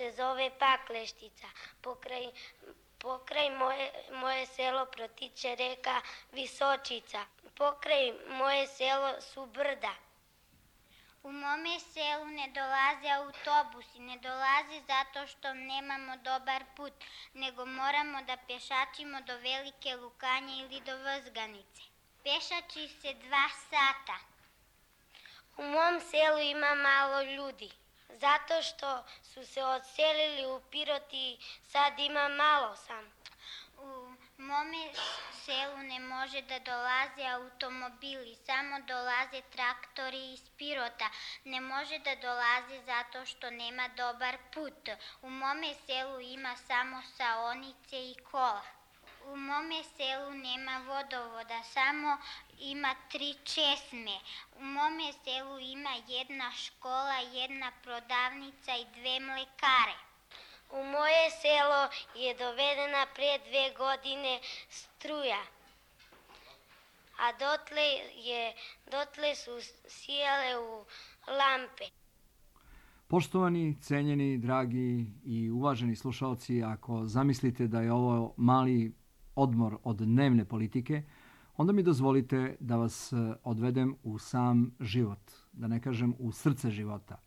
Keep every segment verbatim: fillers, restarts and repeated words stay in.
se zove Pakleštica. Pokraj, pokraj moje, moje selo protiče reka Visočica. Pokraj moje selo su brda. U mome selu ne dolaze autobusi, ne dolaze zato što nemamo dobar put, nego moramo da pešačimo do Velike Lukanje ili do Vrzganice. Pešači se dva sata. U mom selu ima malo ljudi, zato što su se odselili u Pirot i sad ima malo sam. U mome selu ne može da dolaze automobili, samo dolaze traktori iz Pirota. Ne može da dolaze zato što nema dobar put. U mome selu ima samo saonice i kola. U mome selu nema vodovoda, samo ima tri česme. U mome selu ima jedna škola, jedna prodavnica i dve mlekare. U moje selo je dovedena pre dve godine struja, a dotle, je, dotle su sijale u lampe. Poštovani, cenjeni, dragi i uvaženi slušalci, ako zamislite da je ovo mali odmor od dnevne politike, onda mi dozvolite da vas odvedem u sam život, da ne kažem u srce života.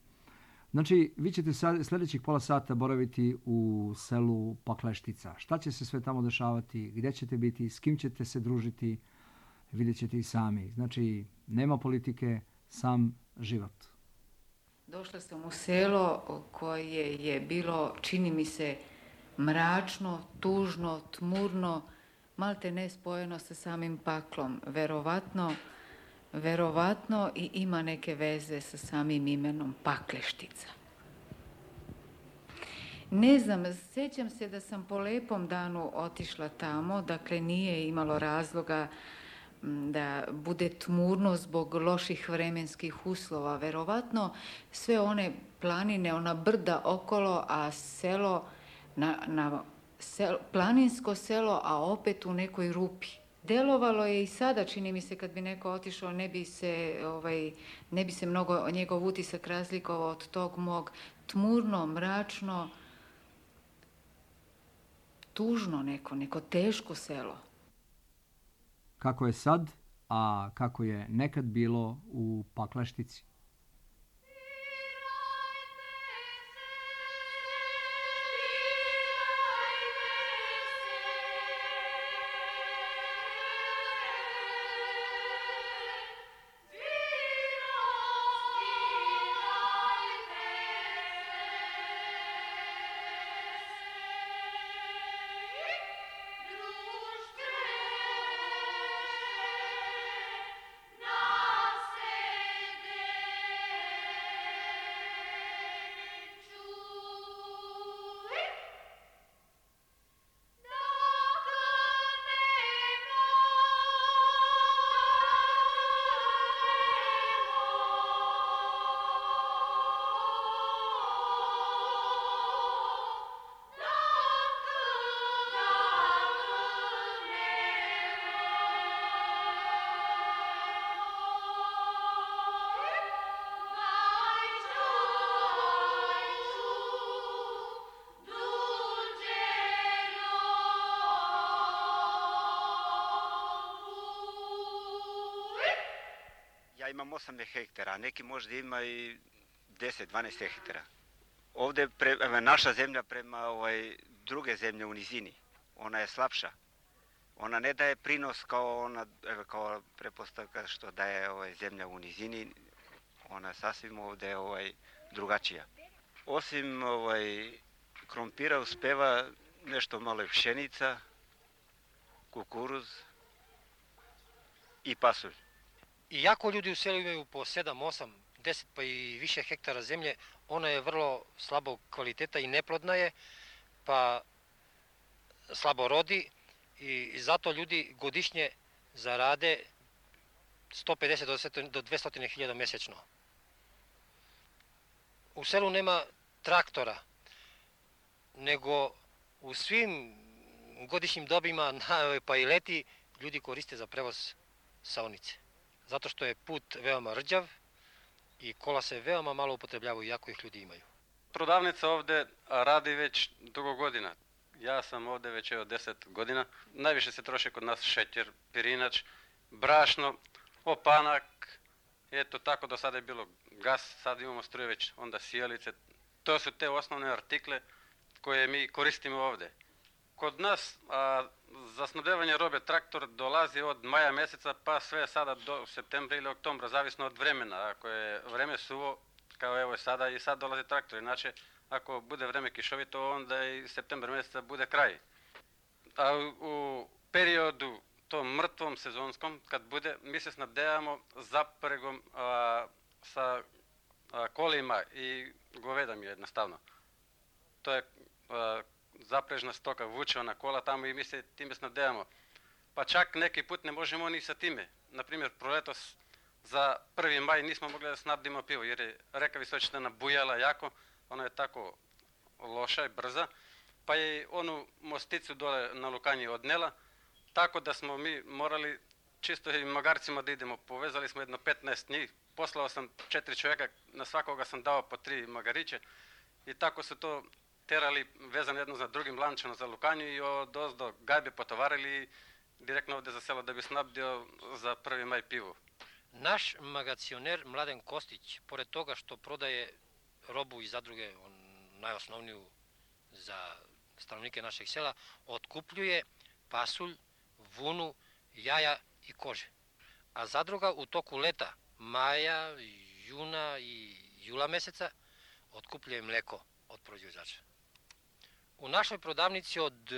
Znači, vi ćete sljedećih pola sata boraviti u selu Pakleštica. Šta će se sve tamo dešavati, gdje ćete biti, s kim ćete se družiti, vidjet ćete i sami. Znači, nema politike, sam život. Došla sam u selo koje je bilo, čini mi se, mračno, tužno, tmurno, malte ne spojeno sa samim paklom. Verovatno, verovatno i ima neke veze sa samim imenom Pakleštica. Ne znam, sjećam se da sam po lepom danu otišla tamo, dakle nije imalo razloga da bude tmurno zbog loših vremenskih uslova. Verovatno sve one planine, ona brda okolo, a selo, na, na selo, planinsko selo, a opet u nekoj rupi. Delovalo je i sada, čini mi se, kad bi neko otišao, ne bi se, ovaj, ne bi se mnogo njegov utisak razlikovao od tog mog. Tmurno, mračno, tužno neko, neko teško selo. Kako je sad, a kako je nekad bilo u Pakleštici. Ja imam osam hektara, a neki možda ima i deset dvanaest hektara. Ovdje pre, naša zemlja prema ovaj, druge zemlje u nizini, ona je slabša. Ona ne daje prinos kao ona, kao prepostavka što daje ovaj, zemlja u nizini, ona sasvim ovdje ovaj, drugačija. Osim ovaj, krompira uspeva nešto malo i pšenica, kukuruz i pasulj. Iako ljudi u selu imaju po sedam, osam, deset pa i više hektara zemlje, ona je vrlo slabog kvaliteta i neplodna je, pa slabo rodi i zato ljudi godišnje zarade sto pedeset do dvesta hiljada mjesečno. U selu nema traktora, nego u svim godišnjim dobima, pa i leti, ljudi koriste za prevoz saonice. Zato što je put veoma rđav i kola se veoma malo upotrebljavaju, iako ih ljudi imaju. Prodavnica ovde radi već dugo godina. Ja sam ovde već evo deset godina. Najviše se troši kod nas šećer, pirinač, brašno, opanak. Eto tako do sada je bilo gas, sad imamo struje već, onda sijalice. To su te osnovne artikle koje mi koristimo ovde. Kod nas a, za snabdevanje robe traktor dolazi od maja meseca pa sve sada do septembra ili oktobra, zavisno od vremena. Ako je vreme suvo, kao evo sada i sad dolazi traktor, inače ako bude vreme kišovito, onda i septembar meseca bude kraj. A u, u periodu tom mrtvom sezonskom, kad bude, mi se snabdevamo zapregom a, sa a, kolima i govedom jednostavno. To je a, zaprežna stoka, vuče ona kola tamo i mi se time snabdevamo. Pa čak neki put ne možemo ni sa time. Naprimjer, proletos za prvi maj nismo mogli da snabdimo pivo, jer je reka Visočina nabujala jako, ona je tako loša i brza, pa je onu mosticu dole na Lukanji odnela, tako da smo mi morali čisto i magarcima da idemo. Povezali smo jedno petnaest njih, poslao sam četiri čovjeka, na svakoga sam dao po tri magariće i tako su to terali vezano jedno za drugim lančano za Lukanju i od ozdo gajbe potovarili direktno ovde za selo da bi snabdio za prvi maj pivu. Naš magacioner Mladen Kostić, pored toga što prodaje robu iz zadruge, on najosnovniju za stanovnike našeg sela, otkupljuje pasulj, vunu, jaja i kože. A zadruga u toku leta, maja, juna i jula meseca, otkupljuje mleko od proizvođača. U našoj prodavnici od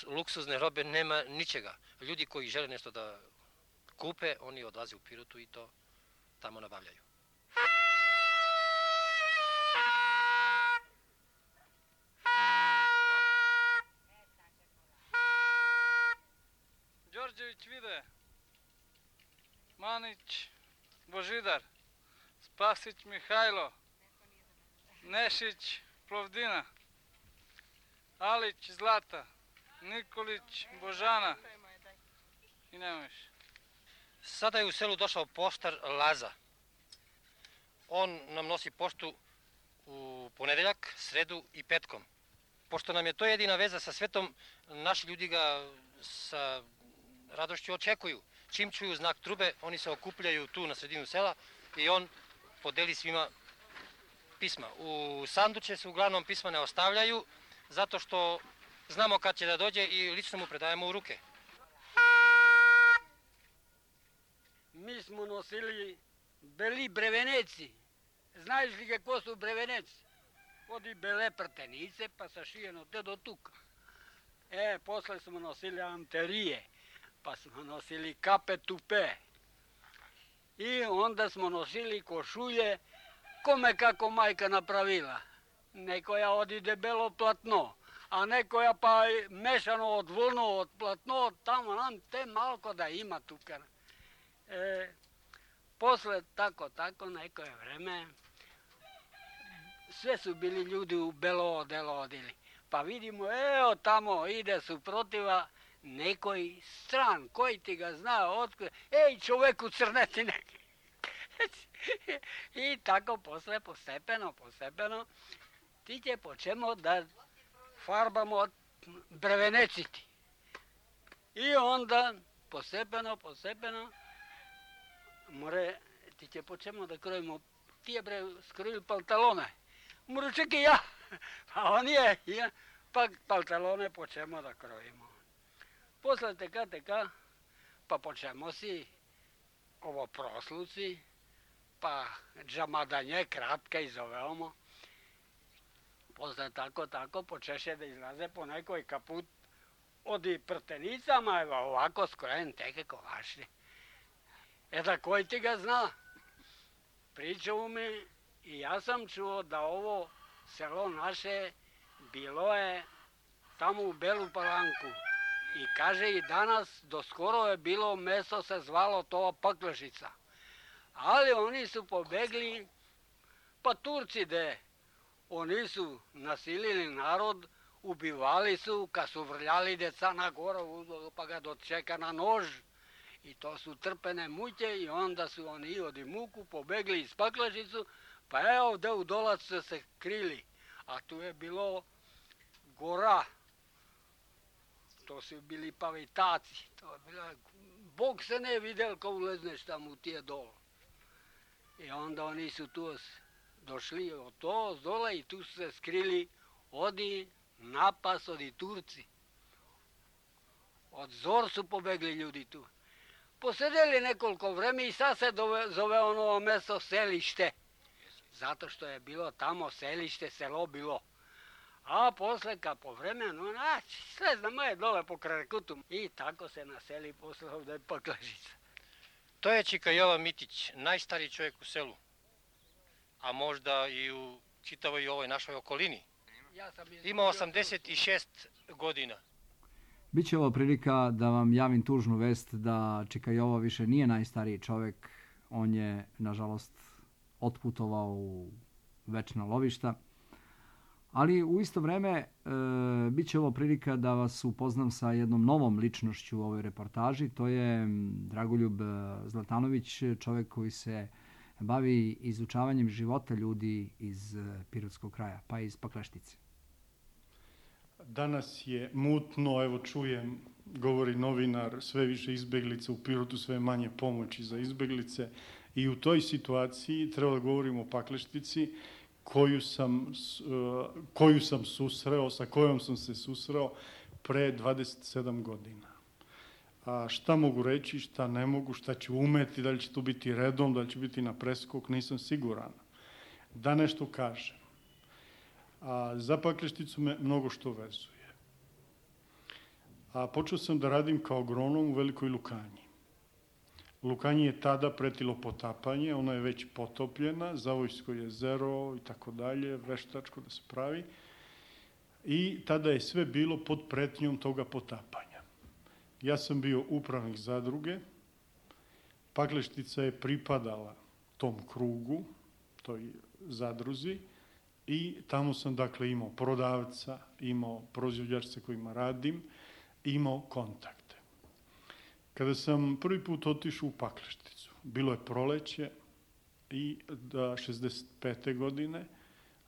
luksuzne robe nema ničega. Ljudi koji žele nešto da kupe, oni odlaze u Pirotu i to tamo nabavljaju. Đorđević Vide, Manić Božidar, Spasić Mihajlo, Nešić Plovdina, Alić Zlata, Nikolić Božana i nema više. Sada je u selu došao poštar Laza. On nam nosi poštu u ponedeljak, sredu i petkom. Pošto nam je to jedina veza sa svetom, naši ljudi ga sa radošću očekuju. Čim čuju znak trube, oni se okupljaju tu na sredinu sela i on podeli svima pisma. U sanduče se uglavnom pisma ne ostavljaju, zato što znamo kad će da dođe i lično mu predajemo u ruke. Mi smo nosili beli breveneci. Znaš li kako su breveneci? Odi bele prtenice pa sašijeno te do tuka. E, posle smo nosili anterije, pa smo nosili kape tupe. I onda smo nosili košulje kome kako majka napravila. Nekoja odi debelo platno, a nekoja pa mešano od vlnu, od platno, tamo nam te malko da ima tuka. E, posle tako, tako, neko je vreme, sve su bili ljudi u belo odelo odili. Pa vidimo, evo tamo ide suprotiva nekoj stran, koji ti ga zna, otkud, ej čoveku crneti neki. I tako posle, postepeno, postepeno, ti će počemo da farbamo breveneciti. I onda, postepeno, postepeno, more, ti će počemo da krojimo, ti je bre skrojili pantalone. More, čekaj ja, a on je, ja, pa pantalone počemo da krojimo. Posle teka, teka, pa počemo si ovo prosluci, pa džamadanje, kratka i zovemo. Posle tako, tako, počeše da izlaze po nekoj kaput od prtenicama, evo ovako skrojen teke kovašli. E da koji ti ga zna? Pričao mi i ja sam čuo da ovo selo naše bilo je tamo u Belu Palanku. I kaže i danas, do skoro je bilo mesto se zvalo to Paklešica. Ali oni su pobegli, pa Turci de, oni su nasilili narod, ubivali su, kad su vrljali deca na goru, pa ga dočeka na nož. I to su trpene muke i onda su oni od muku pobegli iz Paklešicu, Pa evo ovde u dolac su se krili, a tu je bilo gora. To su bili pavitaci. To je bila... Bog se ne videl ko ulezneš tamo u tije dolo. I onda oni su tu došli od to, z dole i tu su se skrili odi napas, odi Turci. Od zor su pobegli ljudi tu. Posedeli nekoliko vreme i sad se dove, zove ono mesto Selište. Zato što je bilo tamo selište, selo bilo. A posle kad po vremenu, naći, sve znamo je dole po Krarekutu. I tako se naseli posle ovde Pakležica. To je Čika Jova Mitić, najstariji čovjek u selu, a možda i u čitavoj ovoj našoj okolini. Ima osamdeset šest godina. Biće ovo prilika da vam javim tužnu vest da Čika Jovo više nije najstariji čovjek. On je, nažalost, otputovao u večna lovišta. Ali u isto vreme e, bit će ovo prilika da vas upoznam sa jednom novom ličnošću u ovoj reportaži. To je Dragoljub Zlatanović, čovjek koji se bavi izučavanjem života ljudi iz Pirotskog kraja, pa iz Pakleštice. Danas je mutno, evo čujem, govori novinar, sve više izbeglica u Pirotu, sve manje pomoći za izbeglice. I u toj situaciji treba da govorimo o Pakleštici, koju sam, koju sam susreo, sa kojom sam se susreo pre dvadeset sedam godina. A šta mogu reći, šta ne mogu, šta ću umeti, da li će to biti redom, da li će biti na preskok, nisam siguran. Da nešto kažem. A za Paklešticu me mnogo što vezuje. A počeo sam da radim kao agronom u Velikoj Lukanji. Lukanji je tada pretilo potapanje, ona je već potopljena, Zavojsko jezero i tako dalje, veštačko da se pravi. I tada je sve bilo pod pretnjom toga potapanja. Ja sam bio upravnik zadruge, Pakleštica je pripadala tom krugu, toj zadruzi, i tamo sam dakle imao prodavca, imao proizvođača sa kojima radim, imao kontakte. Kada sam prvi put otišao u Paklešticu, bilo je proleće i da šezdeset pete godine,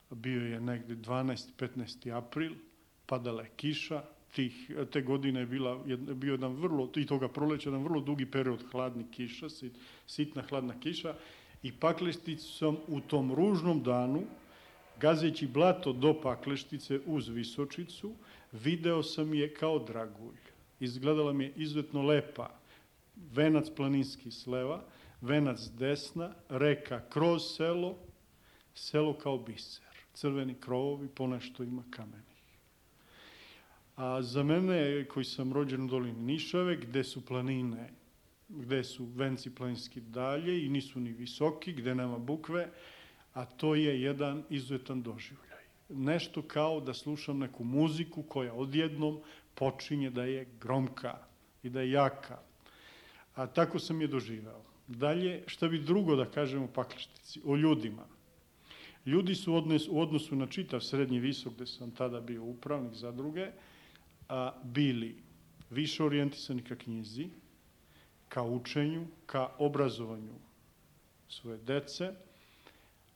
bio je negde dvanaesti petnaesti april, padala je kiša, tih, te godine je bila, bio jedan vrlo, i toga proleća, jedan vrlo dugi period hladnih kiša, sit, sitna hladna kiša, i Paklešticu sam u tom ružnom danu, gazeći blato do Pakleštice uz Visočicu, video sam je kao dragulj. Izgledala mi je izuzetno lepa. Venac planinski s leva, venac s desna, reka kroz selo, selo kao biser. Crveni krovovi, ponešto ima kamenih. A za mene, koji sam rođen u dolini Nišave, gde su planine, gde su venci planinski dalje i nisu ni visoki, gde nema bukve, a to je jedan izuzetan doživljaj. Nešto kao da slušam neku muziku koja odjednom počinje da je gromka i da je jaka. A tako sam je doživao. Dalje, šta bi drugo da kažem o Pakleštici, o ljudima. Ljudi su odnes, u odnosu na čitav srednji visok, gde sam tada bio upravnik zadruge, a, bili više orijentisani ka knjizi, ka učenju, ka obrazovanju svoje dece,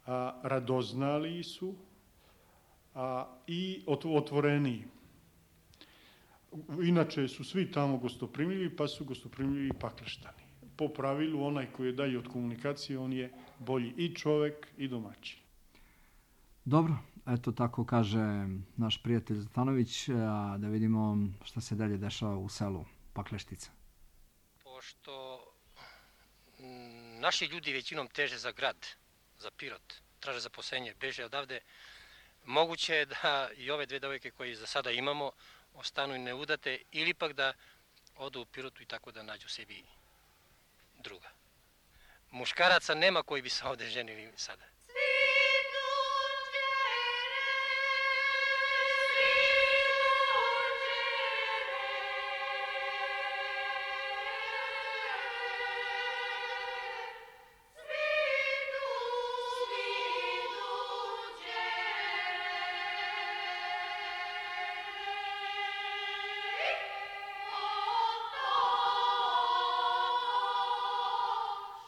a, radoznali su a, i otvoreniji. Inače su svi tamo gostoprimljivi, pa su gostoprimljivi i Pakleštani. Po pravilu, onaj koji je dalje od komunikacije, on je bolji i čovek i domaćin. Dobro, eto tako kaže naš prijatelj Zlatanović, a da vidimo šta se dalje dešava u selu Pakleštica. Pošto naši ljudi većinom teže za grad, za Pirot, traže zaposlenje, beže odavde, moguće je da i ove dve devojke koje za sada imamo ostanu i neudate ili pak da odu u Pirotu i tako da nađu sebi druga. Muškaraca nema koji bi se ovde ženili sada.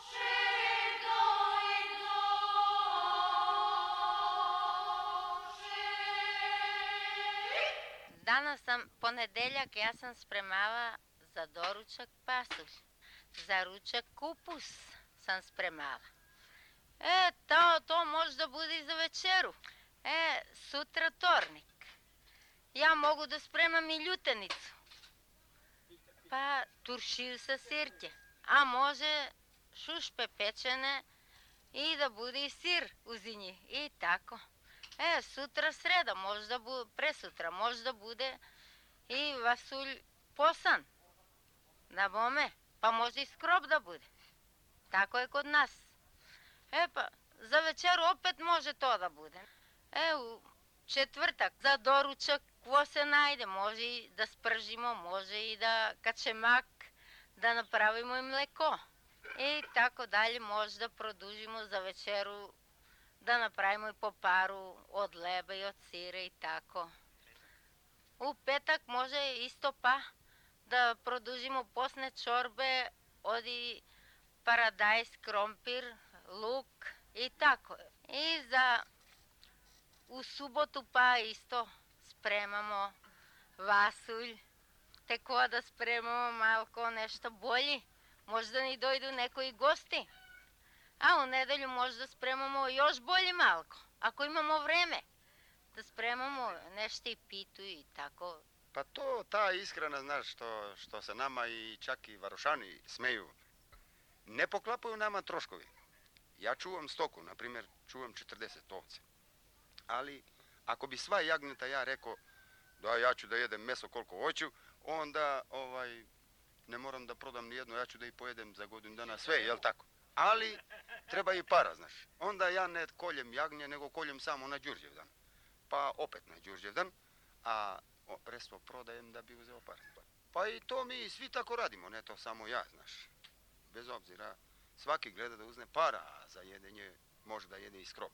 Shake, go, go. Danas sam ponedeljak, ja sam spremala za doručak pasulj, za ručak kupus sam spremala. E, to, to možda bude i za večeru. E, sutra tornik. Ja mogu da spremam i ljutenicu. Pa turšiju sa sirće. A može šušpe pečene i da bude i sir uz njih. I tako. E, sutra sreda, možda bu, presutra, možda bude i vasulj posan. Na bome, pa može i skrob da bude. Tako je kod nas. E pa, za večeru opet može to da bude. E, u četvrtak za doručak ko se najde, može i da spržimo, može i da kačemak, da napravimo i mleko. I tako dalje, može da produžimo za večeru, da napravimo i po paru od leba i od sire i tako. U petak može isto pa da produžimo posne čorbe od i paradajz, krompir, luk i tako. I za u subotu pa isto spremamo vasulj, teko da spremamo malko nešto bolji. Možda ni dojdu neko i gosti. A u nedelju možda spremamo još bolje malko, ako imamo vreme. Da spremamo nešto i pitu i tako. Pa to, ta ishrana, znaš, što, što se nama i čak i varošani smeju, ne poklapaju nama troškovi. Ja čuvam stoku, na primjer, čuvam četrdeset ovce. Ali, ako bi sva jagnjeta ja rekao da ja ću da jedem meso koliko hoću, onda ovaj, ne moram da prodam nijedno, ja ću da i pojedem za godinu dana sve, jel tako? Ali, treba i para, znaš. Onda ja ne koljem jagnje, nego koljem samo na Đurđevdan. Pa opet na Đurđevdan, a resto prodajem da bi uzeo pare. Pa i to mi svi tako radimo, ne to samo ja, znaš. Bez obzira, svaki gleda da uzne para, a za jedenje može da jede i skrob.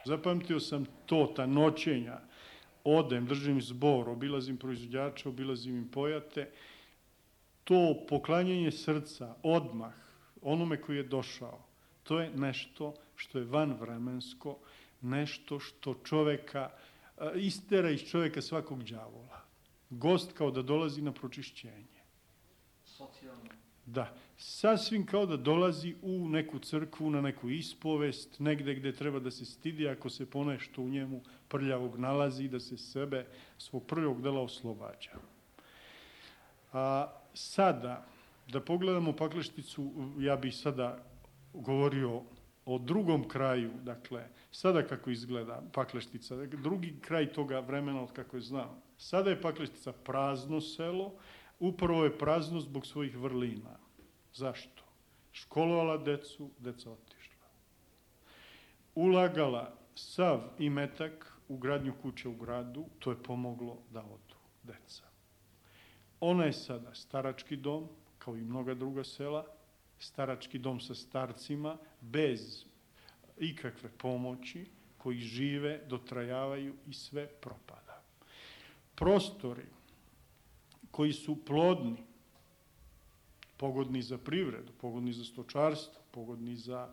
Zapamtio sam to, ta noćenja, odem, držim zbor, obilazim proizvođača, obilazim im pojate, to poklanjanje srca, odmah, onome koji je došao, to je nešto što je vanvremensko, nešto što čoveka, istera iz čoveka svakog đavola. Gost kao da dolazi na pročišćenje. Socijalno. Da, sasvim kao da dolazi u neku crkvu, na neku ispovest, negde gde treba da se stidi ako se ponešto u njemu prljavog nalazi, da se sebe svog prvog dela oslobađa. A sada, da pogledamo Paklešticu, ja bih sada govorio o drugom kraju, dakle, sada kako izgleda Pakleštica, drugi kraj toga vremena od kako je znao. Sada je Pakleštica prazno selo, upravo je prazno zbog svojih vrlina. Zašto? Školovala decu, deca otišla. Ulagala sav imetak u gradnju kuće u gradu, to je pomoglo da odu deca. Ona je sada starački dom, kao i mnoga druga sela, starački dom sa starcima, bez ikakve pomoći, koji žive, dotrajavaju i sve propada. Prostori koji su plodni, pogodni za privredu, pogodni za stočarstvo, pogodni za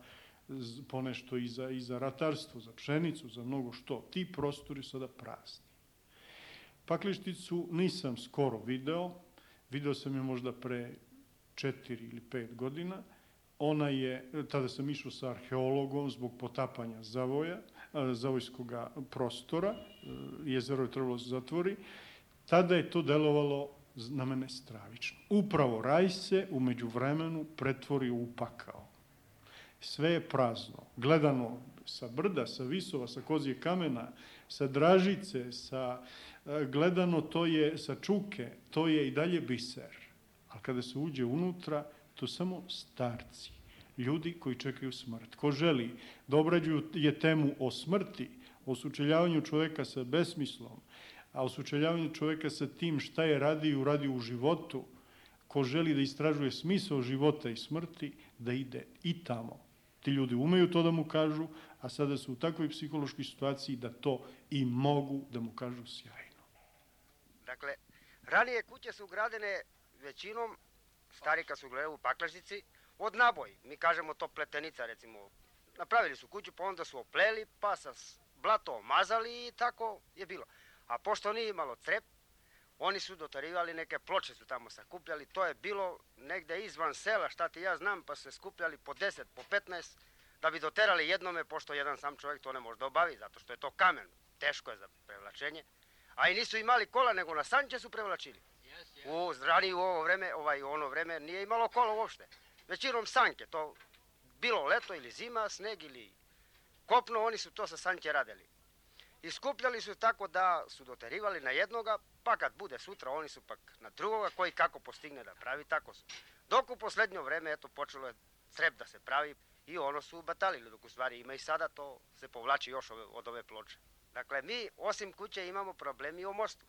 ponešto i za, i za ratarstvo, za pšenicu, za mnogo što. Ti prostori su sada prazni. Paklešticu nisam skoro video, video sam je možda pre četiri ili pet godina. Ona je, tada sam išao sa arheologom zbog potapanja zavoja, zavojskog prostora, jezero je trebalo se zatvori. Tada je to delovalo na mene stravično. Upravo raj se umeđu vremenu pretvorio u pakao. Sve je prazno. Gledano sa brda, sa visova, sa kozije kamena, sa Dražice, sa, gledano to je sa Čuke, to je i dalje biser. A kada se uđe unutra, to samo starci, ljudi koji čekaju smrt. Ko želi da obrađuje temu o smrti, o sučeljavanju čoveka sa besmislom, a o sučeljavanju čoveka sa tim šta je radio i uradio u životu, ko želi da istražuje smisao života i smrti, da ide i tamo. Ti ljudi umeju to da mu kažu, a sada su u takvoj psihološkoj situaciji da to i mogu da mu kažu sjajno. Dakle, ranije kuće su gradene većinom, stari kad su gledali u Paklešnici, od naboj. Mi kažemo to pletenica, recimo. Napravili su kuću, pa onda su opleli, pa sa blato omazali i tako je bilo. A pošto nije imalo crep, oni su dotarivali, neke ploče su tamo sakupljali, to je bilo negde izvan sela, šta ti ja znam, pa su se skupljali po deset, po petnaest, da bi doterali jednome, pošto jedan sam čovjek to ne može da obavi, zato što je to kamen, teško je za prevlačenje. A i nisu imali kola, nego na sanče su prevlačili. U ranije u ovo vreme, ovaj, u ono vreme nije imalo kola uopšte. Većinom sanke, to bilo leto ili zima, sneg ili kopno, oni su to sa sanke radili. I skupljali su tako da su doterivali na jednoga, pa kad bude sutra, oni su pak na drugoga, koji kako postigne da pravi, tako su. Dok u poslednjo vreme, eto, počelo je crep da se pravi i ono su batalili, dok u stvari ima i sada to se povlači još od ove ploče. Dakle, mi osim kuće imamo problem i o mostu.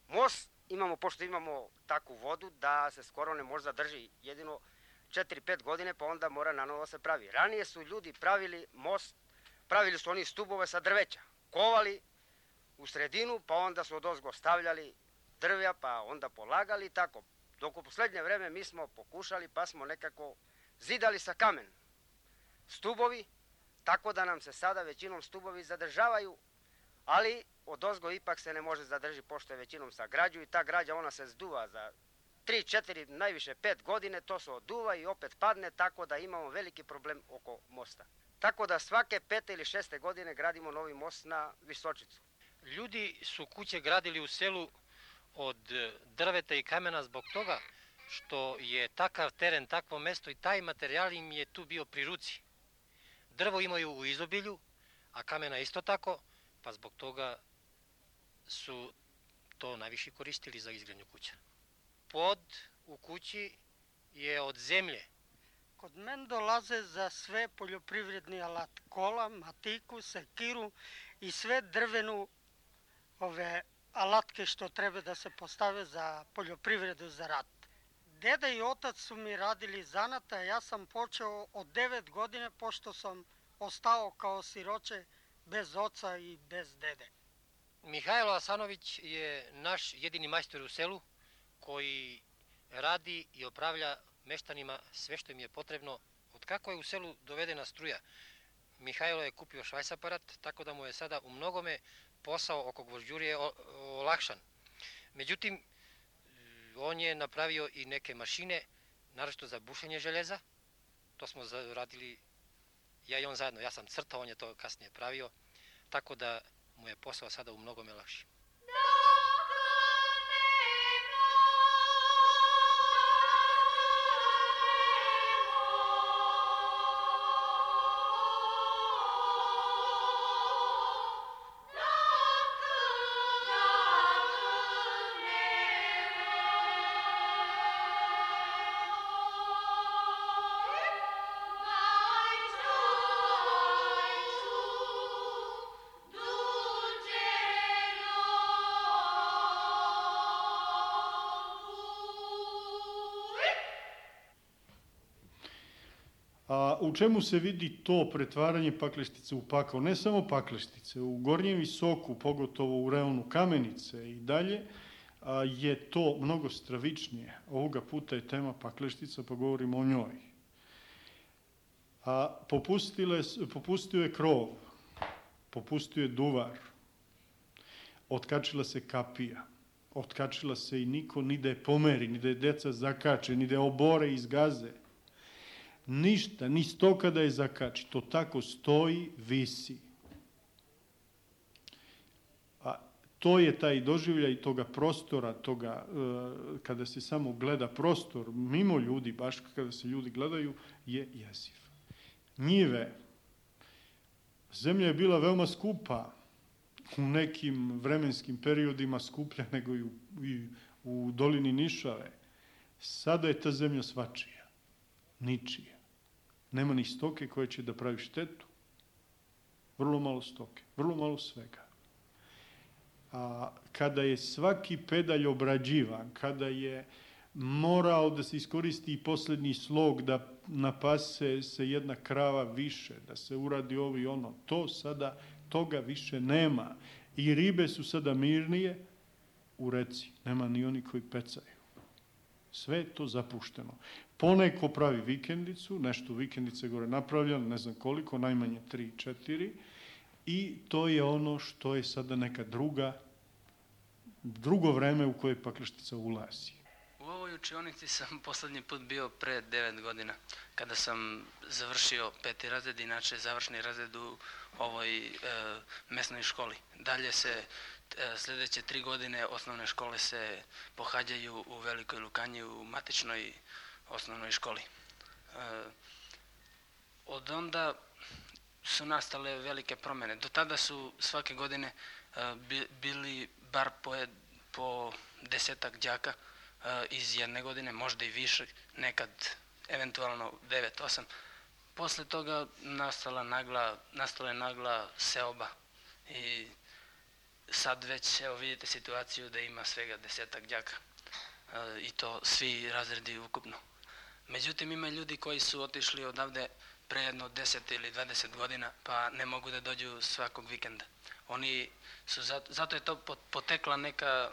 Most imamo, pošto imamo takvu vodu da se skoro ne može zadrži, jedino četiri pet godine, pa onda mora nanovo se pravi. Ranije su ljudi pravili most, pravili su oni stubove sa drveća, kovali u sredinu, pa onda su odozgo stavljali drvja, pa onda polagali i tako. Dok u poslednje vreme mi smo pokušali, pa smo nekako zidali sa kamen stubovi, tako da nam se sada većinom stubovi zadržavaju, ali odozgo ipak se ne može zadrži, pošto je većinom sa građu i ta građa ona se zduva za tri, četiri, najviše pet godine, to se oduva i opet padne, tako da imamo veliki problem oko mosta. Tako da svake pete ili šeste godine gradimo novi most na Visočicu. Ljudi su kuće gradili u selu od drveta i kamena zbog toga što je takav teren, takvo mesto i taj materijal im je tu bio pri ruci. Drvo imaju u izobilju, a kamena isto tako, pa zbog toga su to najviše koristili za izgradnju kuća. Pod u kući je od zemlje. Kod men dolaze za sve poljoprivredni alat, kola, matiku, sekiru i sve drvenu ove alatke što treba da se postave za poljoprivredu, za rat. Deda i otac su mi radili zanata, ja sam počeo od devet godine, pošto sam ostao kao siroče bez oca i bez dede. Mihajlo Asanović je naš jedini majstor u selu koji radi i opravlja meštanima sve što im je potrebno. Od kako je u selu dovedena struja, Mihajlo je kupio švajs aparat, tako da mu je sada u mnogome posao oko gvožđurije olakšan. Međutim, on je napravio i neke mašine, naročito za bušenje željeza. To smo radili ja i on zajedno. Ja sam crtao, on je to kasnije pravio, tako da mu je posao sada u mnogome lakši. A u čemu se vidi to pretvaranje Pakleštice u pakao? Ne samo Pakleštice, u Gornjem Visoku, pogotovo u reonu Kamenice i dalje, a, je to mnogo stravičnije. Ovoga puta je tema Pakleštica, pa govorimo o njoj. A popustile, popustio je krov, popustio je duvar, otkačila se kapija, otkačila se i niko ni da je pomeri, ni da je deca zakače, ni da je obore iz gaze. Ništa, ni stoka da je zakači, to tako stoji, visi. A to je taj doživljaj toga prostora, toga, kada se samo gleda prostor, mimo ljudi, baš kada se ljudi gledaju, je jeziv. Njive. Zemlja je bila veoma skupa, u nekim vremenskim periodima skuplja nego i u, i u dolini Nišave. Sada je ta zemlja svačija, ničija. Nema ni stoke koja će da pravi štetu. Vrlo malo stoke, vrlo malo svega. A kada je svaki pedalj obrađivan, kada je morao da se iskoristi i posljednji slog, da napase se jedna krava više, da se uradi ovo i ono, to sada, toga više nema. I ribe su sada mirnije u reci, nema ni oni koji pecaju. Sve je to zapušteno. Poneko pravi vikendicu, nešto vikendice gore napravljeno, ne znam koliko, najmanje tri, četiri, i to je ono što je sada neka druga, drugo vreme u koje Pakleštica ulazi. U ovoj učionici sam poslednji put bio pre devet godina, kada sam završio peti razred, inače završni razred u ovoj e, mesnoj školi. Dalje se e, sledeće tri godine osnovne škole se pohađaju u Velikoj Lukanji u matičnoj osnovnoj školi. E, od onda su nastale velike promene. Do tada su svake godine e, bili bar po, po desetak đaka iz jedne godine, možda i više, nekad eventualno devet osam. Posle toga nastala nagla, nastala je nagla seoba i sad već, evo vidite situaciju da ima svega desetak đaka i to svi razredi ukupno. Međutim, ima ljudi koji su otišli odavde pre jedno deset ili dvadeset godina, pa ne mogu da dođu svakog vikenda. Oni su, zato, zato je to potekla neka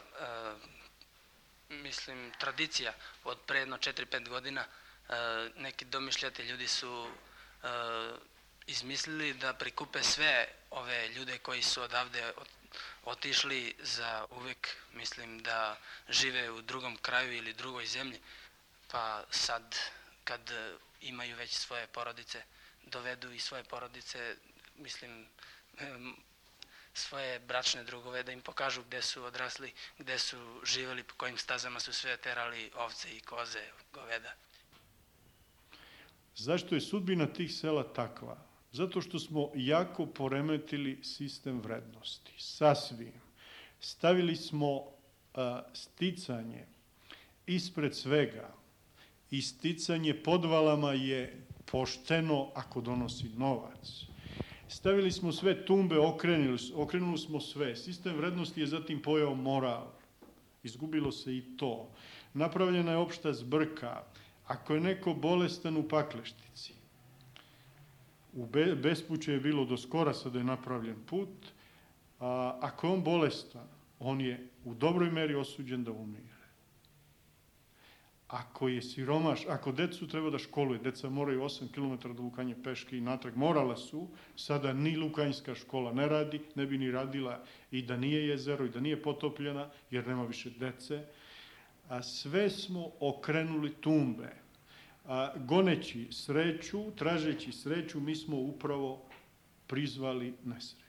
mislim, tradicija od pre jedno četiri pet godina. E, neki domišljati ljudi su e, izmislili da prikupe sve ove ljude koji su odavde otišli za uvek, mislim, da žive u drugom kraju ili drugoj zemlji, pa sad kad imaju već svoje porodice, dovedu i svoje porodice, mislim, svoje bračne drugove, da im pokažu gde su odrasli, gde su živeli, po kojim stazama su sve terali ovce i koze, goveda. Zašto je sudbina tih sela takva? Zato što smo jako poremetili sistem vrednosti. Sasvim. Stavili smo a, sticanje ispred svega i sticanje podvalama je pošteno ako donosi novac. Stavili smo sve tumbe, okrenuli, okrenuli smo sve. Sistem vrednosti je zatim pojao moral. Izgubilo se i to. Napravljena je opšta zbrka. Ako je neko bolestan u Pakleštici, u Be Bespuću je bilo do skora, sada je napravljen put, a ako je on bolestan, on je u dobroj meri osuđen da umire. Ako je siromaš, ako decu treba da školuje, deca moraju osam kilometara do Lukanje peške i natrag, morala su, sada ni Lukanjska škola ne radi, ne bi ni radila i da nije jezero i da nije potopljena, jer nema više dece. A sve smo okrenuli tumbe. A, goneći sreću, tražeći sreću, mi smo upravo prizvali nesreću.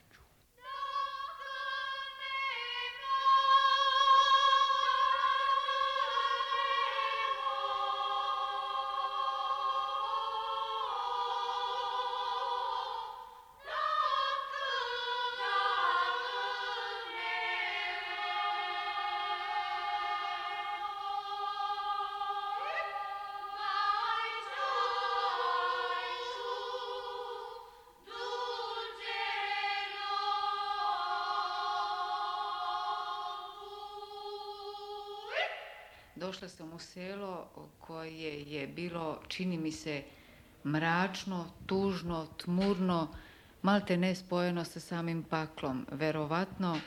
Došla sam u selo koje je bilo, čini mi se, mračno, tužno, tmurno, malte ne spojeno sa samim paklom. Verovatno,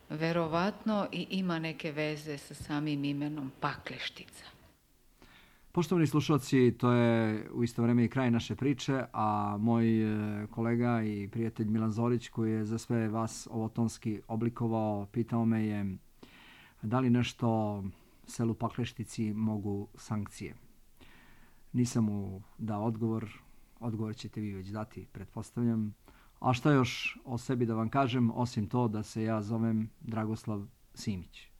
verovatno i ima neke veze sa samim imenom Pakleštica. Poštovani slušalci, to je u isto vreme i kraj naše priče, a moj kolega i prijatelj Milan Zorić, koji je za sve vas ovo tonski oblikovao, pitao me je da li nešto selu Pakleštici mogu sankcije. Nisam mu dao odgovor, odgovor ćete vi već dati, pretpostavljam. A šta još o sebi da vam kažem, osim to da se ja zovem Dragoslav Simić.